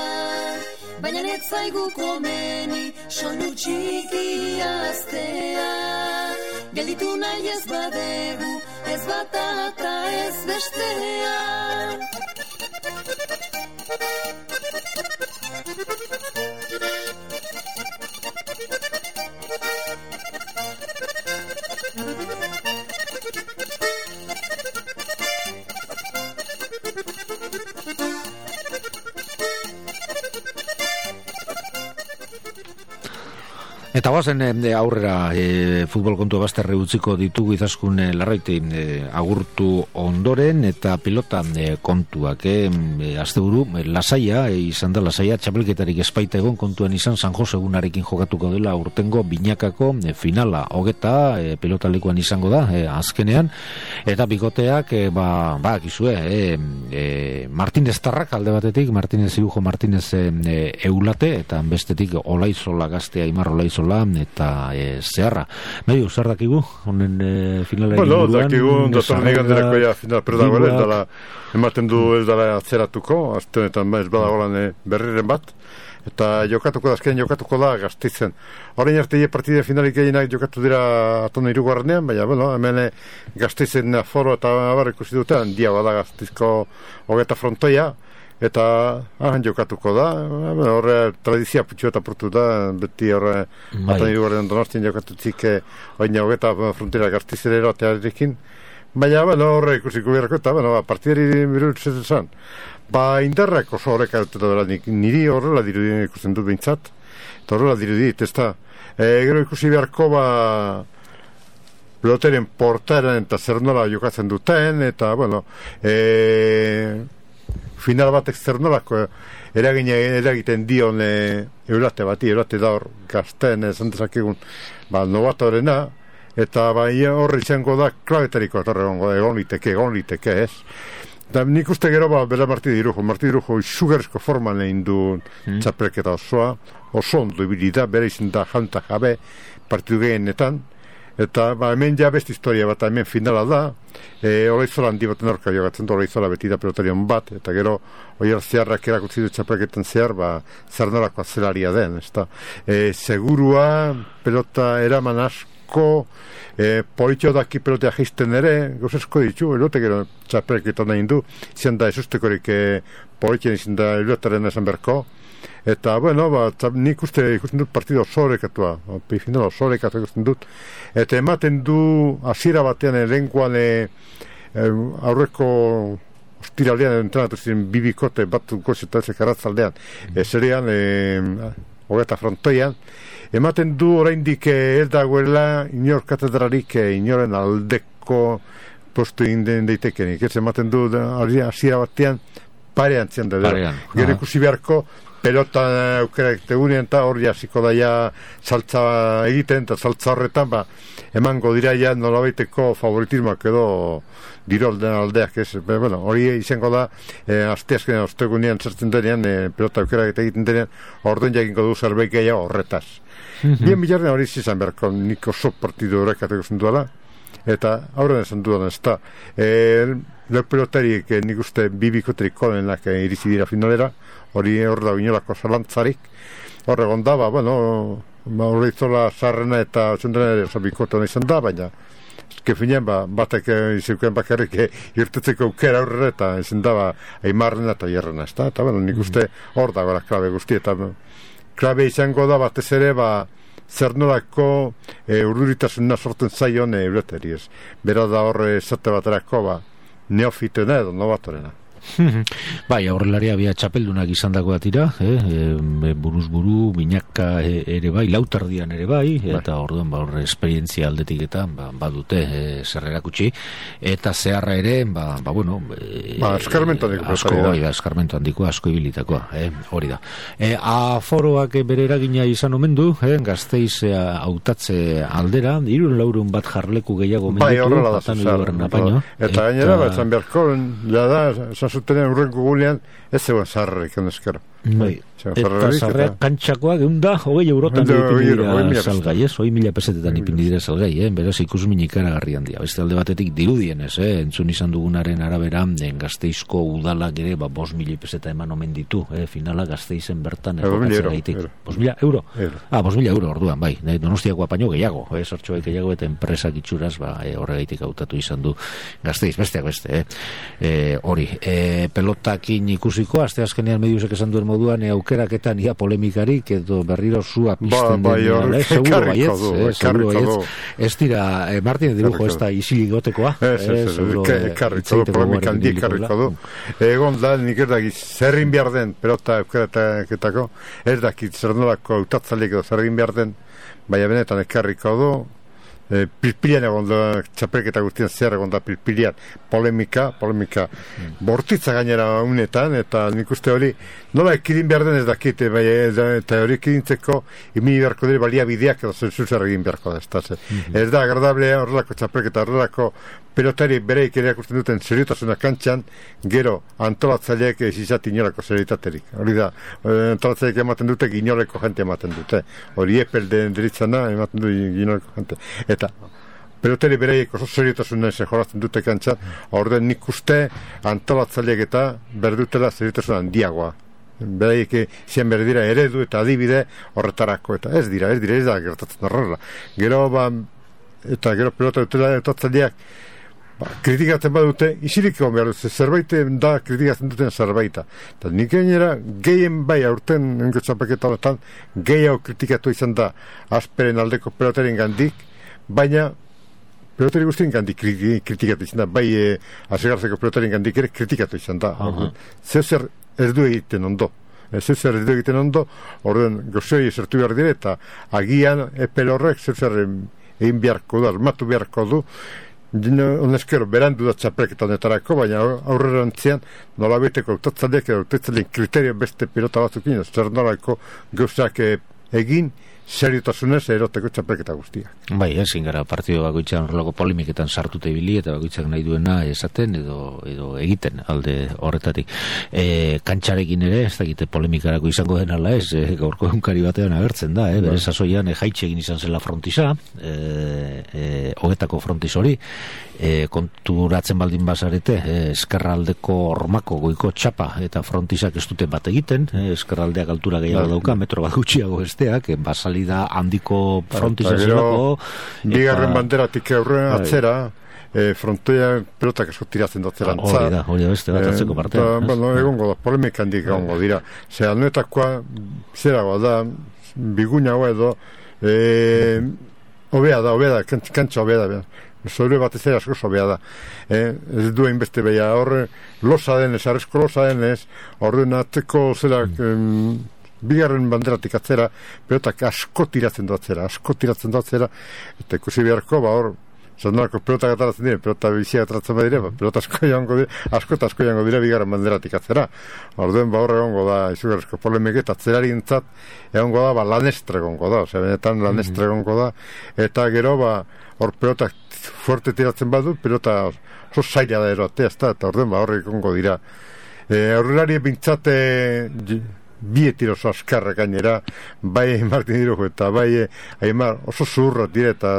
Baina ez zaigu komeni, soinu txiki aztea. Gelditu nahi ez badegu, ez bata eta ez bestea. Eta guazen e, aurrera e, futbol kontu bazterre utziko ditugu Izaskun e, Larraiti e, agurtu ondoren eta pilota e, kontuak e, e, asteburu e, lasaia e, izan da lasaia txapelketarik espaita egon kontuan izan San Jose egunarekin jokatuko dela urtengo binakako e, finala hogeta e, pilotalekuan izango da e, azkenean eta bikoteak e, ba, ba akizue e, e, Martinez Tarrak alde batetik Martinez Irujo Martinez e, e, Eulate eta bestetik Olaizola gaztea Imar Olaizola eta e, zeharra. Medio, zer dakigu? Honen e, finalari bueno, buruan? Bueno, dakigu, datorren iganderako ja final, pero dago, ez dala, ematen du ez dala atzeratuko, azte honetan ez badagolan e, berriren bat, eta jokatuko da, azken jokatuko da Gasteizen. Horrein arte ie partide finalik eginak jokatu dira atona irugarrenean, baina, bueno, hemen Gasteizen aforo eta abar ikusi dute, handia bada Gasteizko hogeta frontoia, eta ahan jokatuko da, horre tradizia putxu eta portu da, beti horre atan irugarren Donostien jokatutzik oina hogeta frontera Gasteizerero atearekin, baina bueno, horre ikusiko beharko eta bueno, partidari birutzetzen zan. Ba, indarrak oso horrek arutetan dela, niri horrela dirudien ikusten dut behintzat, eta horrela dirudit, ez da. E, gero ikusi beharko ba, peloteren portaren eta zer nola jokatzen duten, eta bueno, e, final batek zer nolako eragine eragiten dion e, Eulate bati, Eulate da hor gazten esan dezakegun ba, novatorena, eta ba, horre izango da klabetariko egongo, egon liteke, egon liteke, ez? Da, nik uste gero ba, bera Marti Dirujo, Marti Dirujo izugarrizko forman egin du hmm. txapelketa osoa, oso ondo ibili da, bera izan da janta jabe partidu gehienetan, eta ba, hemen ja beste historia bat, hemen finala da, e, Olaizola handi baten aurka jogatzen du, Olaizola beti da pelotarion bat, eta gero oiar zeharrak erakutsi du txapelketan zehar, ba, zer norako azelaria den, ez da. E, segurua, pelota eraman asko, e, politxo daki pelotea jisten ere, gauzesko ditu, elote gero txapelketan nahi du, izan da esustekorik e, politxen izan da elotaren esan berko, eta, bueno, ba, nik uste ikusten dut partido osorekatua, final osorekatua ikusten dut, eta ematen du hasiera batean elenkoan e, e, aurreko ostiralean entrenatu ziren bibikote bat gozeta ezek arratzaldean, e, zerean, e, hogeta frontoian, ematen du oraindik ez dagoela inor katedralik e, inoren aldeko postu inden daitekenik, ez ematen du hasiera batean parean zian da, gero ikusi beharko pelota aukerak tegunean eta hor jasiko daia saltza egiten eta saltza horretan ba, emango dira ja nolabaiteko favoritismoak edo dirolden aldeak ez, be, bueno, hori izango da e, asteazkenean ostegunean zertzen denean e, pelota aukerak eta egiten denean orduen jakinko du zerbait gehiago horretaz mm-hmm. Bien bilarren hori izan beharko nik oso partidu horrekateko zenduala eta aurren esan dudan ez da e, le pelotariek e, nik uste bibikoterik kolenak e, iritsi dira finalera hori hor da inolako zalantzarik hor egon da, ba, bueno Olaizola zarrena eta zendena ere oso bikotan izan da, baina ezke finean, ba, batek izauken bakarrik irtetzeko aukera aurrera eta izan da, ba, aimarrena eta hierrena, ez da, eta bueno, nik uste hor dago la klabe guzti, eta klabe izango da batez ere, ba, zer nolako e, urduritasuna sorten zaion e, eureteri, ez, bera da hor esate baterako, ba, neofitena edo novatorena. Bai, aurrelaria bia txapeldunak izan dagoa tira, eh? e, buruz buru, binaka e, ere bai, lautardian ere bai, eta orduan ba, horre esperientzia aldetik eta ba, badute e, zer erakutsi, eta zeharra ere, ba, ba bueno, e, ba, eskarmento handiko, asko, bai, da, eskarmento handiko, asko ibilitakoa, eh? Hori da. E, aforoak bere eragina izan omen du, eh? Gasteiz hautatze aldera, irun laurun bat jarleku gehiago menditu, bai, horrela da, zuzar, eta gainera, bat zan beharko, ja da, zuten urrenko gulean ez zegoen zaharrek ondezkero. Bai. Eta zarreak kantxakoak egun da, hogei eurotan ipindira salgai, ez? Hogei mila pesetetan ipindira salgai, eh? Beraz ikusmin ikaragarri handia. Beste alde batetik dirudienez, eh? Entzun izan dugunaren arabera, den Gasteizko udalak ere, ba, bos mila peseta eman omen ditu, eh? Finala Gasteizen bertan errokatzera gaitik. Bos mila euro? Ah, bos mila euro orduan, bai. Donostiako apaino gehiago, eh? Sortxoek gehiago eta enpresak itxuraz, ba, eh, horregaitik hautatu izan du Gasteiz, besteak beste, eh? Hori, eh, pelotakin ikusiko, aste azkenean mediusek esan duen moduan, eh, aukeraketan ia polemikarik edo berriro zua pizten ba, den eh, seguro baietz, eh, seguro baietz. Ez dira, eh, Martin Dirujo ez da isilik gotekoa. Ez, ez, ez, karriko du, polemika handi karriko du. Egon da, nik ez dakit, zerrin behar den, pelota aukeraketako, ez dakit, zer nolako autatzalik edo zerrin behar den, baina benetan ekarriko du, E, pilpilian egon da, txapelketa guztien zer egon da pilpilian, polemika, polemika mm. bortitza gainera unetan, eta nik uste hori, nola ekidin behar den ez dakite, bai, eta hori ekidintzeko, imini beharko dira balia bideak edo zer egin beharko da, ez da, mm-hmm. ez da agradable horrelako txapelketa, horrelako pelotari bereik ere akusten duten seriotasuna kantxan, gero antolatzaileek ez izati inolako serietaterik. Hori da, antolatzaileek ematen dute, inoleko jente ematen dute. Hori epel den deritzana, ematen du inoleko jente. Eta pelotari bereik oso seriotasuna ez jorazten dute kantxan, orden nik uste antolatzaileek eta berdutela seriotasuna handiagoa. Bereik zian berdira eredu eta adibide horretarako, eta ez dira, ez dira, ez da gertatzen horrela. Gero, ba, eta gero pelota dutela etotzaileak, ba, kritikatzen badute, isirik egon behar dut, zerbait da kritikatzen duten zerbaita. Eta nik gainera, gehien bai aurten enko txapaketa honetan, gehiago kritikatu izan da asperen aldeko pelotaren gandik, baina pelotari guztien gandik kritikatu izan da, bai e, asegarzeko pelotaren gandik ere kritikatu izan da. Uh-huh. Zer ez du egiten ondo. Zer zer ez du egiten ondo, orduan gozoi esertu behar dire, eta agian epel horrek zer zer egin beharko du, armatu beharko du, honezkero berandu da txapelketa honetarako, baina aurrera antzian nola beteko autatzaleak edo autatzaleak kriterio beste pilota batzukin, zer nolako gauzak egin seriotasunez eroteko txapelketa guztiak. Bai, ezin gara partido bakoitzean horrelako polemiketan sartute ibili eta bakoitzak nahi duena esaten edo edo egiten alde horretatik. E, kantxarekin ere, ez dakite polemikarako izango den ala ez, e, gaurko egunkari batean agertzen da, eh? Bere sasoian e, jaitxe egin izan zela frontisa, e, e, hogetako frontis hori, e, konturatzen baldin bazarete, e, eskerraldeko ormako goiko txapa eta frontisak ez dute bat egiten, e, eskerraldeak altura gehiago dauka, metro bat gutxiago besteak, e, basali da handiko frontiza zelako. Bigarren banderatik aurren atzera, e, frontoia pelotak asko tiratzen datzera antza. Hori da, hori da beste bat atzeko partea. E, bueno, egongo da, polemik handik egongo dira. Zer, anuetakoa, zeragoa da, bigunagoa edo, e, obea da, obea da, kantxa obea da, sobre batez ere asko sobea da. E, ez duen beste beha, horre, losa denez, arrezko losa denez, horren atzeko zelak, mm. bigarren banderatik atzera, pelotak asko tiratzen duatzera, asko tiratzen duatzera, eta ikusi beharko, ba hor, zanolako pelotak ataratzen dire, pelota biziak ataratzen badire, ba, pelota asko jango dire, asko eta asko jango dire bigarren banderatik atzera. Orduen, ba hor egongo da, izugarrizko polemik eta atzerari entzat, egongo da, ba lanestre egongo da, osea, benetan lanestre egongo da, eta gero, ba, hor pelotak fuerte tiratzen badu, pelota oso zaila da eroatea, eta orduen, ba hor egongo dira. E, aurrelari bintzate, bietir oso askarra gainera, bai Martin Dirujo eta bai Aimar oso zurra dire eta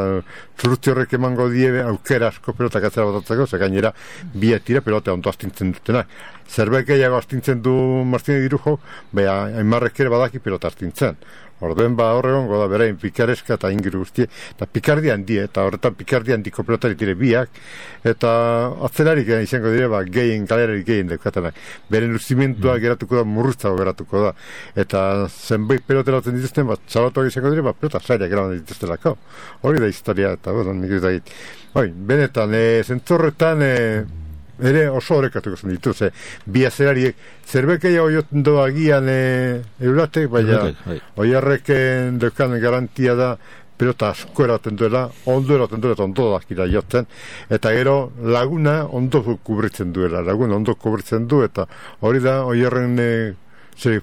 zurruti horrek emango die aukera asko pelotak atzera botatzeko, ze gainera bietira pelota ondo astintzen dutenak. Zerbait gehiago astintzen du Martin Dirujo, bai Aimarrek ere badaki pelota astintzen. Orduen ba horregongo da berain pikareska eta ingiru guztie, eta pikardi handi, eta horretan pikardi handiko pelotari dire biak, eta atzelarik izango dire, ba, gehien, galerarik gehien deukatenak. Beren luzimentua mm. geratuko da, murruztago geratuko da. Eta zenbait peloteratzen dituzten, ba, txabatuak izango dire, ba, pelota zailak eraman dituztelako. Hori da historia, eta bueno, nik ez da git. Hoi, benetan, e, zentzorretan, e, ere oso horrekatuko zen ditu, ze bi azerariek zerbekeia oioten doa agian e, euratek, baina oiarrek deukan garantia da pelota asko eraten duela, ondo eraten duela eta ondo dakira jotzen, eta gero laguna ondo kubritzen duela, laguna ondo kubritzen du, eta hori da oiarren e, ze,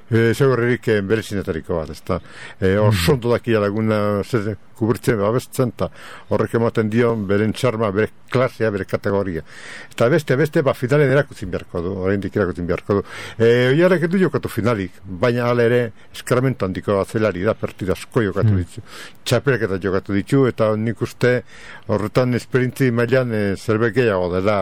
e, segurrerik e, berezinetariko bat, ez da, e, oso ondo dakira laguna zer, kuburtzen, babesten, eta horrek ematen dion beren txarma, bere klasea, bere kategoria. Eta beste, beste, ba, finalen erakutzin beharko du, oraindik erakutzin beharko du. E, Oiarek edu jokatu finalik, baina hala ere, eskarmentu handiko atzelari da, partida asko jokatu ditu. Txapelak eta jokatu ditu, eta nik uste horretan esperintzi mailan e, zerbait gehiago dela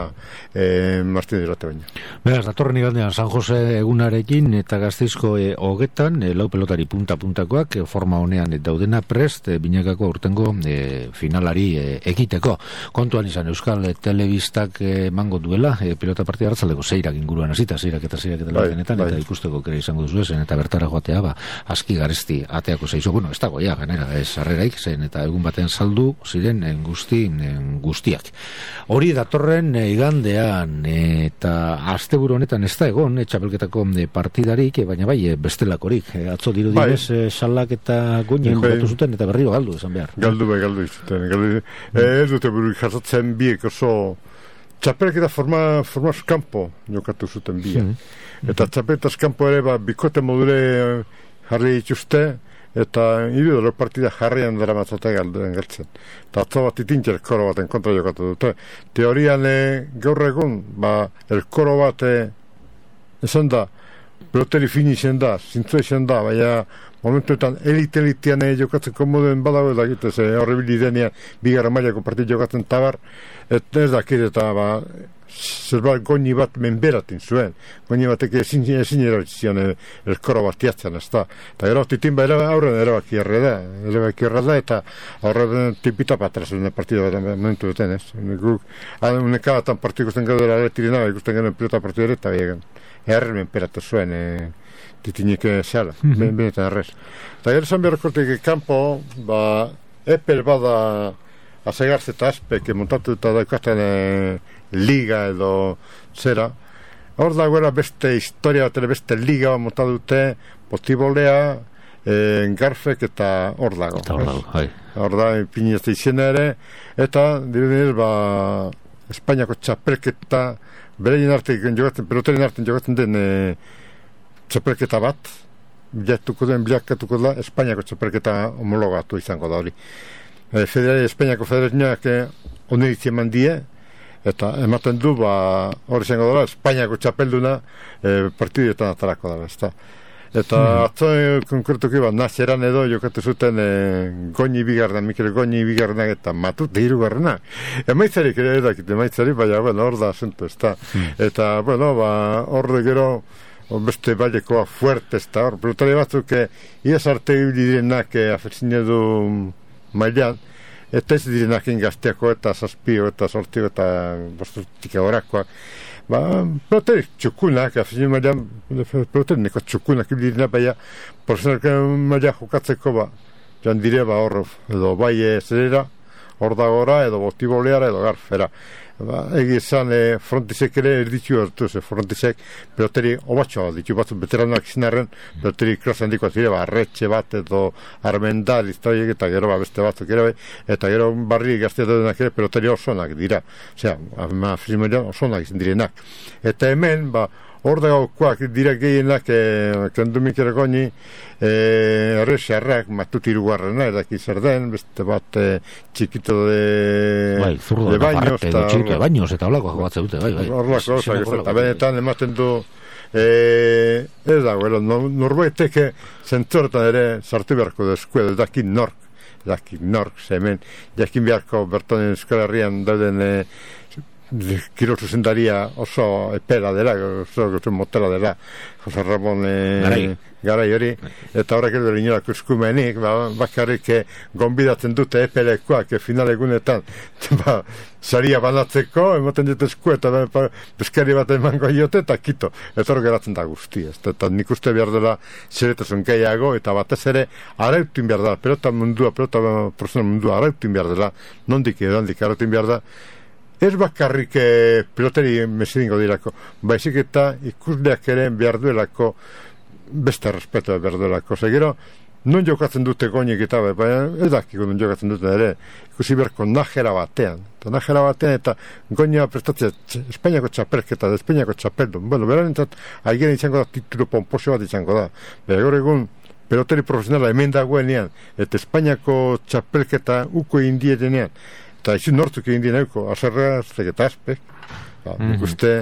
e, Martin Irate baina. Beraz, datorren igandean San Jose egunarekin eta Gasteizko e, hogetan, e, lau pelotari punta-puntakoak, e, forma honean e, daudena prest, e, binakako urtengo e, finalari e, ekiteko. Kontuan izan Euskal e, Telebistak emango e, duela, e, pelota partida hartzaldeko zeirak inguruan hasita, zeirak eta zeirak eta lagenetan, bai, bai. Eta ikusteko kere izango duzu esen, eta bertara joatea, ba, aski garesti ateako zeizu. Bueno, ez dago, ja, ganera, ez harreraik zen, eta egun batean saldu ziren en guzti, en guztiak. Hori datorren e, igandean, e, eta asteburu honetan ez da egon, e, txapelketako e, partidarik, e, baina bai, e, bestelakorik. E, atzo diru bai. Direz, e, salak eta goinen bai. Jokatu zuten, eta berriro galdu, esan behar. Galdu bai, galdu izuten. Galdu, mm. Ez dute buruik jasotzen biek oso txapelketa forma, forma eskampo jokatu zuten biek. Mm. Eta txapelketa eskampo ere, ba, bikote modure jarri dituzte, eta individual partida jarrian dara matzate galduen galtzen. Eta atzo bat itintzer koro baten kontra jokatu dute. Teorian e, gaur egun, ba, el koro bat e, esan da, peloteri fini zen da, zintzu zen da, baina momentuetan elite-elitean jokatzen komoduen badago da egitez, horrebili denean bigarra mailako partidu jokatzen tabar, eta ez dakit eta ba, zerbait goni bat menberatin zuen, goni batek ezin, ezin erabizion elkoro bat jatzen, ez da. Eta gero titin ba aurren erabaki erre da, erabaki erre da, eta aurren tipita patrazen partidu bat momentu duten, ez. Unekabatan partidu ikusten gero dela tirina, ikusten gero pilota partidu ere, eta biegan, erre menperatu zuen, e, titinik zehala, mm -hmm. benetan errez. Eta gero zan beharkortik kanpo, ba, epel bada azegarze eta azpek montatu eta daukaten e, liga edo zera. Hor da guera beste historia bat, beste liga montatu dute, potibolea, e, garfek eta hor dago. Eta hor dago, hai. Hor da, pinizte izena ere, eta dirudinez, ba, Espainiako txapelketa, bereien arte jogatzen, peloterin arte jogatzen den e, txapelketa bat, bilatuko den, bilakatuko da, Espainiako txapelketa homologatu izango da hori. E, Federari, Espainiako federazioak e, oniritzia eman die, eta ematen du, ba, hori izango dara, Espainiako txapelduna e, partiduetan atarako da, ezta. Eta hmm. atzo e, konkretuki ba, nazeran edo jokatu zuten e, Goñi bigarna, Mikel Goñi bigarna eta Matute hirugarrena. Emaitzarik ere edakit, emaitzarik, baina, bueno, hor da asunto, ezta. Hmm. Eta, bueno, ba, hor de gero, beste bailekoa fuerte, ezta, hor, pelotari batzuk, iaz arte direnak afetzine du mailan, eta ez direnak ingazteako eta zazpio eta sortio eta bostutik horakoak. Ba, pelotari txukunak, afetzine mailan, pelotari neko txukunak direnak, baina, profesionalka maila jokatzeko, ba, joan dire, ba, hor, edo bai zerera, hor da gora, edo botiboleara, edo garfera. Ba, egi esan e, frontisek ere erditu hartu, ze frontisek peloteri obatxoa ditu batzu veteranak zinarren, peloteri klas handikoa zire, ba, arretxe bat edo armendal iztaiek eta gero ba, beste batzuk ere, eta gero barri gaztea denak ere peloteri osonak dira, osea, afirmoian osonak izan direnak. Eta hemen, ba, hor dagokoak dira gehienak e, kendumik ere goni errexarrak e, matut irugarrena edaki zer den, beste bat e, txikito de bai, zurdo, de baños eta txikito de baños eta holako jogatze dute bai, bai. Horlako osak eta benetan ematen du e, ez dago, norbaitek zentzortan ere sartu beharko deskuedo, edaki nork edaki nork, zemen jakin beharko bertonen Euskal Herrian dauden e, Kiro zuzendaria oso epera dela, oso motela dela, Jose Ramon e, garai. garai hori, eta horrek edo inoak eskumenik, ba, bakarrik e, gonbidatzen dute epelekoak e, final egunetan, ba, saria banatzeko, ematen dut esku, eta ba, beskari bat emango iote, eta kito, eta hor geratzen da guzti, ez, eta nik uste behar dela zeretasun gehiago, eta batez ere, arautin behar dela, pelota mundua, pelota profesional mundua, arautin behar dela, nondik edo handik arautin behar da, ez bakarrik e, peloteri mesedingo dirako, baizik eta ikusleak ere behar duelako, beste respeto behar duelako. Zegero, non jokatzen dute goinik eta baina ez dakiko non jokatzen dute ere, ikusi beharko najera batean. Eta najera batean eta goinua prestatzea Espainiako txapelketa, Espainiako txapeldun. Bueno, berarentzat, aigeren izango da titulo pomposio bat izango da. Bera gaur egun, pelotari profesionala hemen dagoenean, eta Espainiako txapelketa uko indietenean, eta izun nortzuk indien euko, azerra, eta azpek, ba, mm -hmm. uste,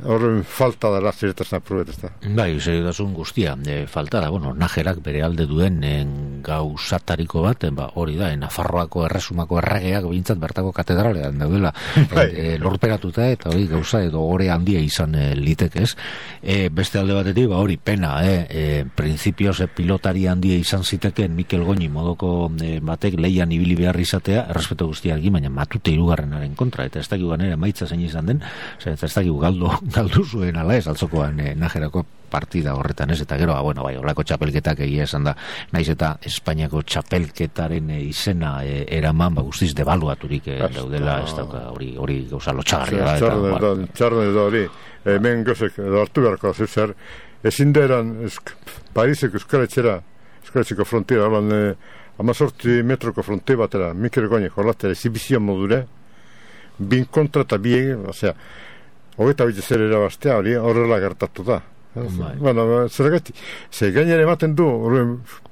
horren falta dara zeretazen aprobet, ez da. Bai, segitasun guztia, e, falta da, bueno, Najerak bere alde duen en, gauzatariko bat, en, ba, hori da, en, Nafarroako erresumako erregeak bintzat bertako katedralean daudela, bai. e, lorperatuta eta hori gauza edo ore handia izan e, litekez. E, beste alde batetik, ba, hori pena, e, e, prinsipioz e, pilotari handia izan ziteken Mikel Goñi modoko e, batek leian ibili behar izatea, errespeto guztiarekin, baina matute hirugarrenaren kontra, eta ez dakik ganera maitza zein izan den, ez dakik galdo galdu zuen ala ez, altzokoan eh, Najerako partida horretan ez, eta gero, ah, bueno, bai, horrako txapelketak egia esan da, naiz eta Espainiako txapelketaren eh, izena eh, eraman, ba, guztiz debaluaturik eh, daudela, ez dauka, hori, hori gauza lotxagarria da. Txarren da hori, hemen gozek, hartu beharko zer, ezin da eran, Pariseko euskaletxera, euskaletxeko frontiera, holan, eh, amazortzi metroko fronte batera, Mikel Goñi jorlatera, ezibizio modure, bin kontra eta bi, osea, hogeita bitze zer erabastea hori horrela gertatu da. Bueno, zergatik, ze gainera ematen du,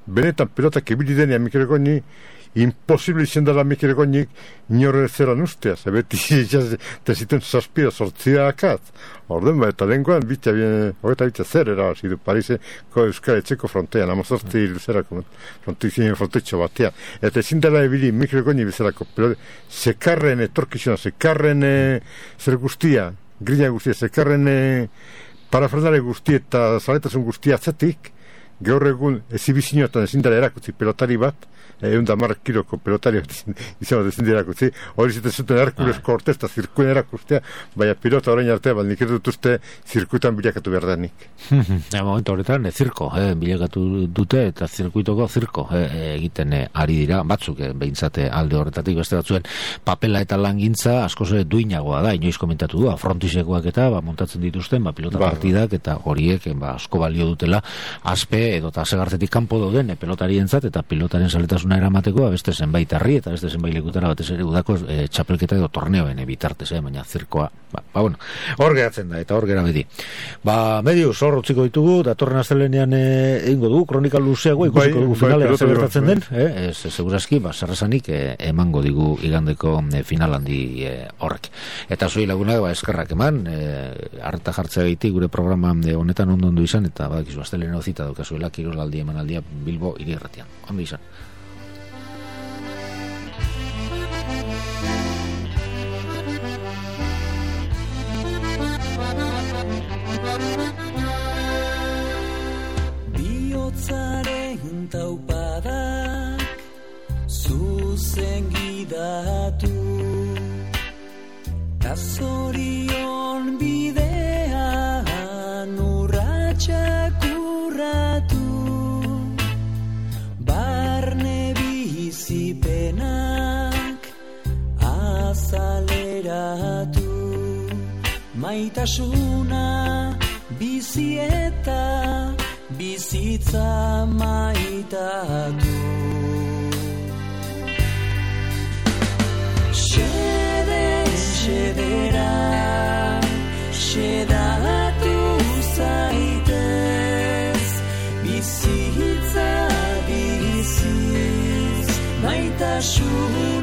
benetan pilotak ebili denean Mikel Goñi, imposible izan dela Mikel Goñik inorre zeran ustea, ze beti zituen zazpira sortzia akaz. Orden ba, eta lenguan, hogeita bitze zer erabasi du Pariseko Euskal Etxeko frontean, amazortzi luzerako frontetxo batean. Eta ezin dela ebili Mikel Goñi bezalako pilotak, zekarren etorkizuna, zekarren zer guztia, grilla guztia, zekarren e, parafernale guztia eta zaletasun guztia atzatik, gaur egun ezibizinoetan ezin dara erakutzi pelotari bat, egun da marrak kiloko pelotari bat izan bat ezin dara erakutzi, hori ziten zuten Herkulesko Ortez eta zirkuen erakustea, baina pilota orain artea, bat nik dut uste zirkuitan bilakatu behar da nik. Ja, momentu horretan, e, zirko, eh, bilakatu dute eta zirkuitoko zirko eh, egiten eh, ari dira, batzuk eh, behintzate alde horretatik beste batzuen papela eta langintza askoz duinagoa da, inoiz komentatu du, frontisekoak eta ba, montatzen dituzten ba, pilota ba, partidak eta horiek ba, asko balio dutela aspe edo eta segartetik kanpo dauden e, pelotarientzat eta pilotaren saletasuna eramateko beste zenbait herri eta beste zenbait lekutara batez ere udako e, txapelketa edo torneoen e, bitartez, eh, baina zirkoa ba, ba bueno, hor geratzen da eta hor gera beti. Ba, medius, hor utziko ditugu, datorren astelenean egingo dugu, kronika luzeago ikusiko dugu finalea zer gertatzen den, eh, ez segurazki, ba, zerrezanik eh, emango digu igandeko eh, final handi eh, horrek. Eta zoi lagunak, ba, eskerrak eman, eh, harta jartzea gaitik gure programa eh, honetan ondo ondo izan, eta badakizu astelenean zita daukazuela kirolaldi emanaldia Bilbo hiri erratian. Ondo izan. Biotzaren taupadak zuzen gidatu Kazorion bidean urratxak urratu Barne bizipenak azaleratu Maitasuna bizieta bizitza maitatu Xede, xedera, xedatu zaitez Bizitza biziz, maitasun